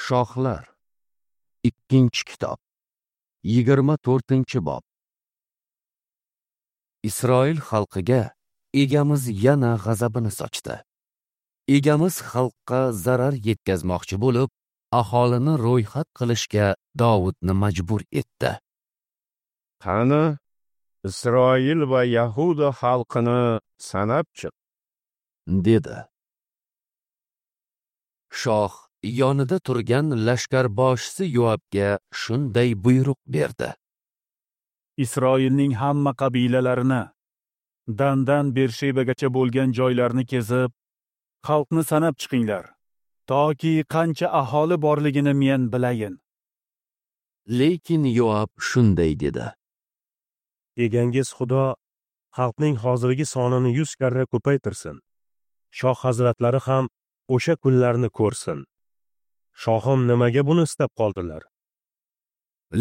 Shohlar. 2-kitob. 24-bob. Isroil xalqiga Egamiz yana g'azabini sochdi. Egamiz xalqqa zarar yetkazmoqchi bo'lib, aholini ro'yxat qilishga Dovudni majbur etdi. Qani, Isroil va Yahuda xalqini sanab chiq, dedi. Shoh yonida turgan lashkarboshisi Yoabga shunday buyruq berdi: Isroilning hamma qabilalarini, Dandan Bershebagacha bo'lgan joylarni kezib, xalqni sanab chiqinglar, toki qancha aholi borligini men bilayin. Lekin Yoab shunday dedi: Egangiz Xudo xalqning hozirgi sonini 100 karra ko'paytirsin. Shoh hazratlari ham o'sha kunlarni ko'rsin. Shohim nimaga buni istab qoldilar?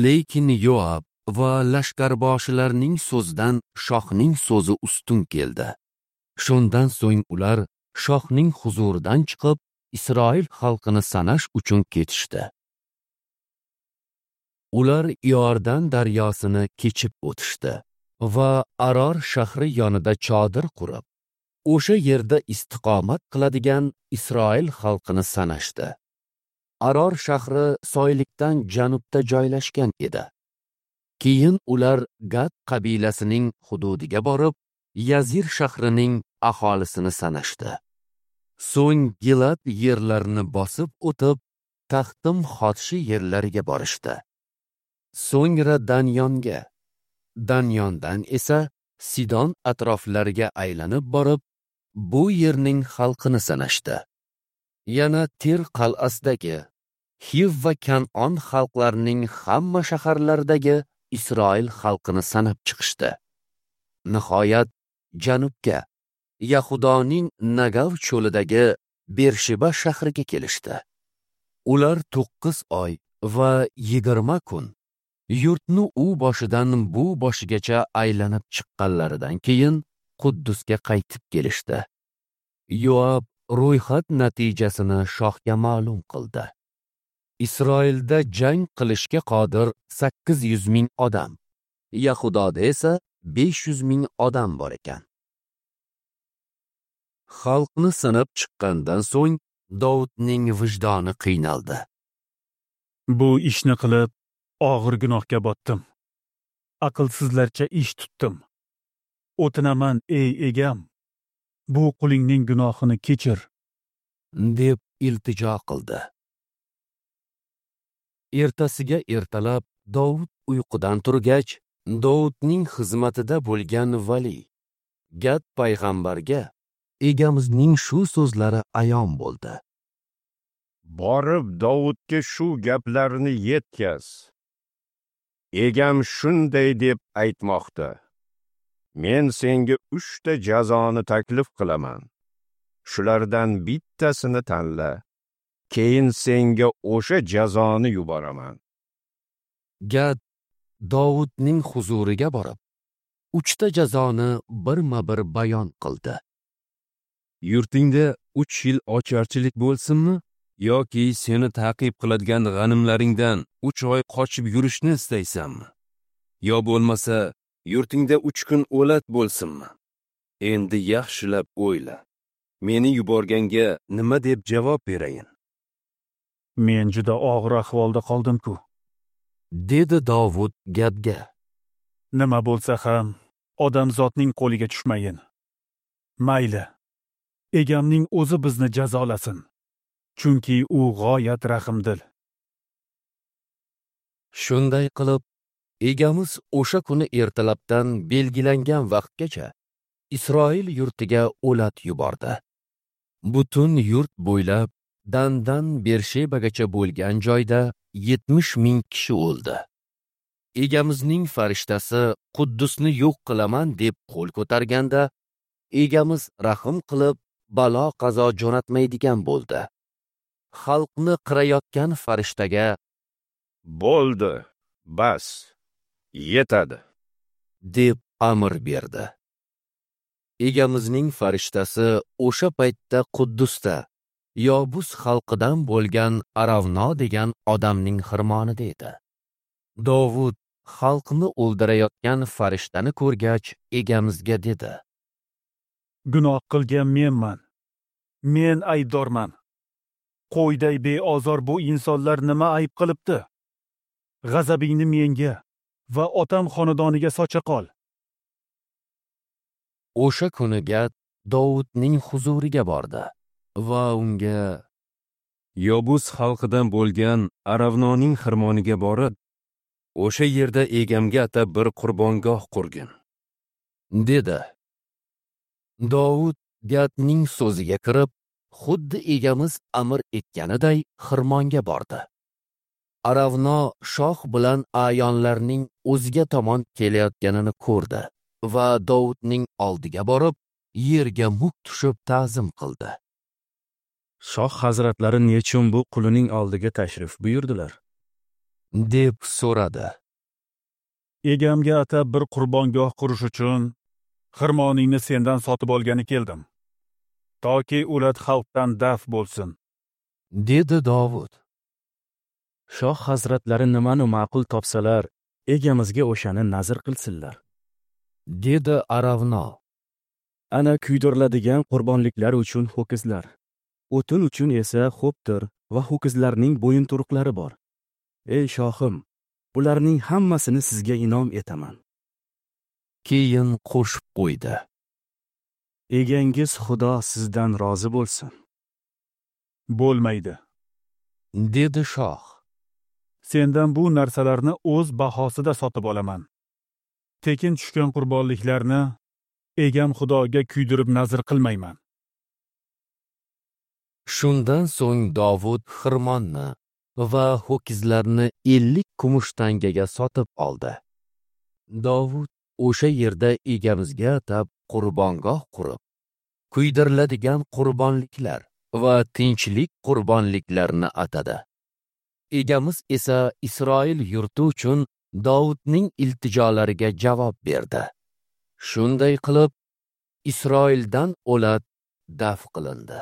Lekin Yoab va lashkarboshilarning so'zidan shohning so'zi ustun keldi. Shundan so'ng ular shohning huzuridan chiqib, Isroil xalqini sanash uchun ketishdi. Ular Iordan daryosini kechib o'tishdi va Aror shahri yonida chodir qurib, o'sha yerda istiqomat qiladigan Isroil xalqini sanashdi. Aror shahri soylikdan janubda joylashgan edi. Keyin ular Gad qabilasining hududiga borib, Yazir shahrining aholisini sanashdi. So'ng Gilad yerlarini bosib o'tib, Taxtim Xotshi yerlariga borishdi. So'ngra Danyonga, Danyondan esa Sidon atroflariga aylanib borib, bu yerning xalqini sanashdi. Yana Tir qal'asidagi Hiv va Kan'on xalqlarining hamma shaharlaridagi Isroil xalqini sanab chiqishdi. Nihoyat janubga, Yahudoning Nagav cho'lidagi Bersheba shahriga kelishdi. Ular 9 oy va 20 kun yurtni u boshidan bu boshigacha aylanib chiqqanlaridan keyin Quddusga qaytib kelishdi. Yoab ro'yxat natijasini shohga ma'lum qildi. Isroilda jang qilishga qodir 800 ming odam, Yahudoda esa 500 ming odam bor ekan. Xalqni sanab chiqqandan so'ng Dovudning vijdoni qiynaldi. Bu ishni qilib og'ir gunohga botdim. Aqlsizlarcha ish tutdim. O'tinaman, ey egam, bu qulingning gunohini kechir, deb iltijo qildi. Ertasiga ertalab Dovud uyqudan turgach, Dovudning xizmatida bo'lgan vali Gad payg'ambarga Egamizning shu so'zlari ayon bo'ldi: Borib Dovudga shu gaplarni yetkaz. Egam shunday deb aytmoqda: Men senga 3 ta jazoni taklif qilaman. Shulardan bittasini tanla. Keyin senga o'sha jazoni yuboraman. Gad Dovudning huzuriga borib, 3 ta jazoni birma-bir bayon qildi. Yurtingda 3 yil ocharchilik bo'lsinmi yoki seni ta'qib qiladigan g'animlaringdan 3 oy qochib yurishni istaysanmi? Yo bo'lmasa, yurtingda 3 kun o'lat bo'lsinmi? Endi yaxshilab o'yla. Meni yuborganga nima deb javob berayin? Men juda og'ir ahvolda qoldim-ku, dedi Dovud Gadga. Nima bo'lsa ham odamzodning qo'liga tushmayin. Mayli, egamning o'zi bizni jazolasin, chunki u g'oyat rahimdil. Shunday qilib, Egamiz o'sha kuni ertalabdan belgilangan vaqtgacha Isroil yurtiga o'lat yubordi. Butun yurt bo'ylab Dandan Bershebagacha bo'lgan joyda 70 ming kishi o'ldi. Egamizning farishtasi Quddusni yo'q qilaman deb qo'l ko'targanda, Egamiz rahim qilib balo qazo jo'natmaydigan bo'ldi. Xalqni qirayotgan farishtaga: Bo'ldi, bas, yetadi, deb amr berdi. Egamizning farishtasi o'sha paytda Quddusda, Yobus xalqidan bo'lgan Aravno degan odamning xirmonida edi. Dovud xalqni o'ldirayotgan farishtani ko'rgach, egamizga dedi: Gunoh qilgan menman. Men aybdorman. Qo'yday beozor bu insonlar nima ayb qilibdi? G'azabingni menga va otam xonadoniga socha qol. O'sha kuni Gad Dovudning huzuriga bordi va unga: Yobus xalqidan bo'lgan Aravnoning xirmoniga borib, o'sha yerda egamga atab bir qurbongoh qurgin, dedi. Dovud Gadning so'ziga kirib, xuddi egamiz amr etganiday xirmonga bordi. Aravno shoh bilan a'yonlarning o'ziga tomon kelayotganini ko'rdi va Dovudning oldiga borib, yerga muk tushib ta'zim qildi. Shoh hazratlari nechun bu qulining oldiga tashrif buyurdilar? Deb so'radi. Egamga atab bir qurbongoh qurish uchun xirmoningni sendan sotib olgani keldim, toki o'lat xalqdan daf bo'lsin, dedi Dovud. Shoh hazratlari nimani ma'qul topsalar, egamizga o'shani nazr qilsinlar, dedi Aravno. Ana kuydiriladigan qurbonliklar uchun ho'kizlar, o'tin uchun esa xo'ptir va ho'kizlarning bo'yinturuqlari bor. Ey shohim, bularning hammasini sizga inom etaman. Keyin qo'shib qo'ydi: Egangiz Xudo sizdan rozi bo'lsin. Bo'lmaydi, dedi shoh. Sendan bu narsalarni o'z bahosida sotib olaman. Tekin tushgan qurbonliklarni egam Xudoga kuydirib nazr qilmayman. Shundan so'ng Dovud xirmonni va ho'kizlarni 50 kumush tangaga sotib oldi. Dovud o'sha yerda egamizga atab qurbongoh qurib, kuydiriladigan qurbonliklar va tinchlik qurbonliklarini atadi. Egamiz esa Isroil yurti uchun Dovudning iltijolariga javob berdi. Shunday qilib, Isroildan o'lat daf qilindi.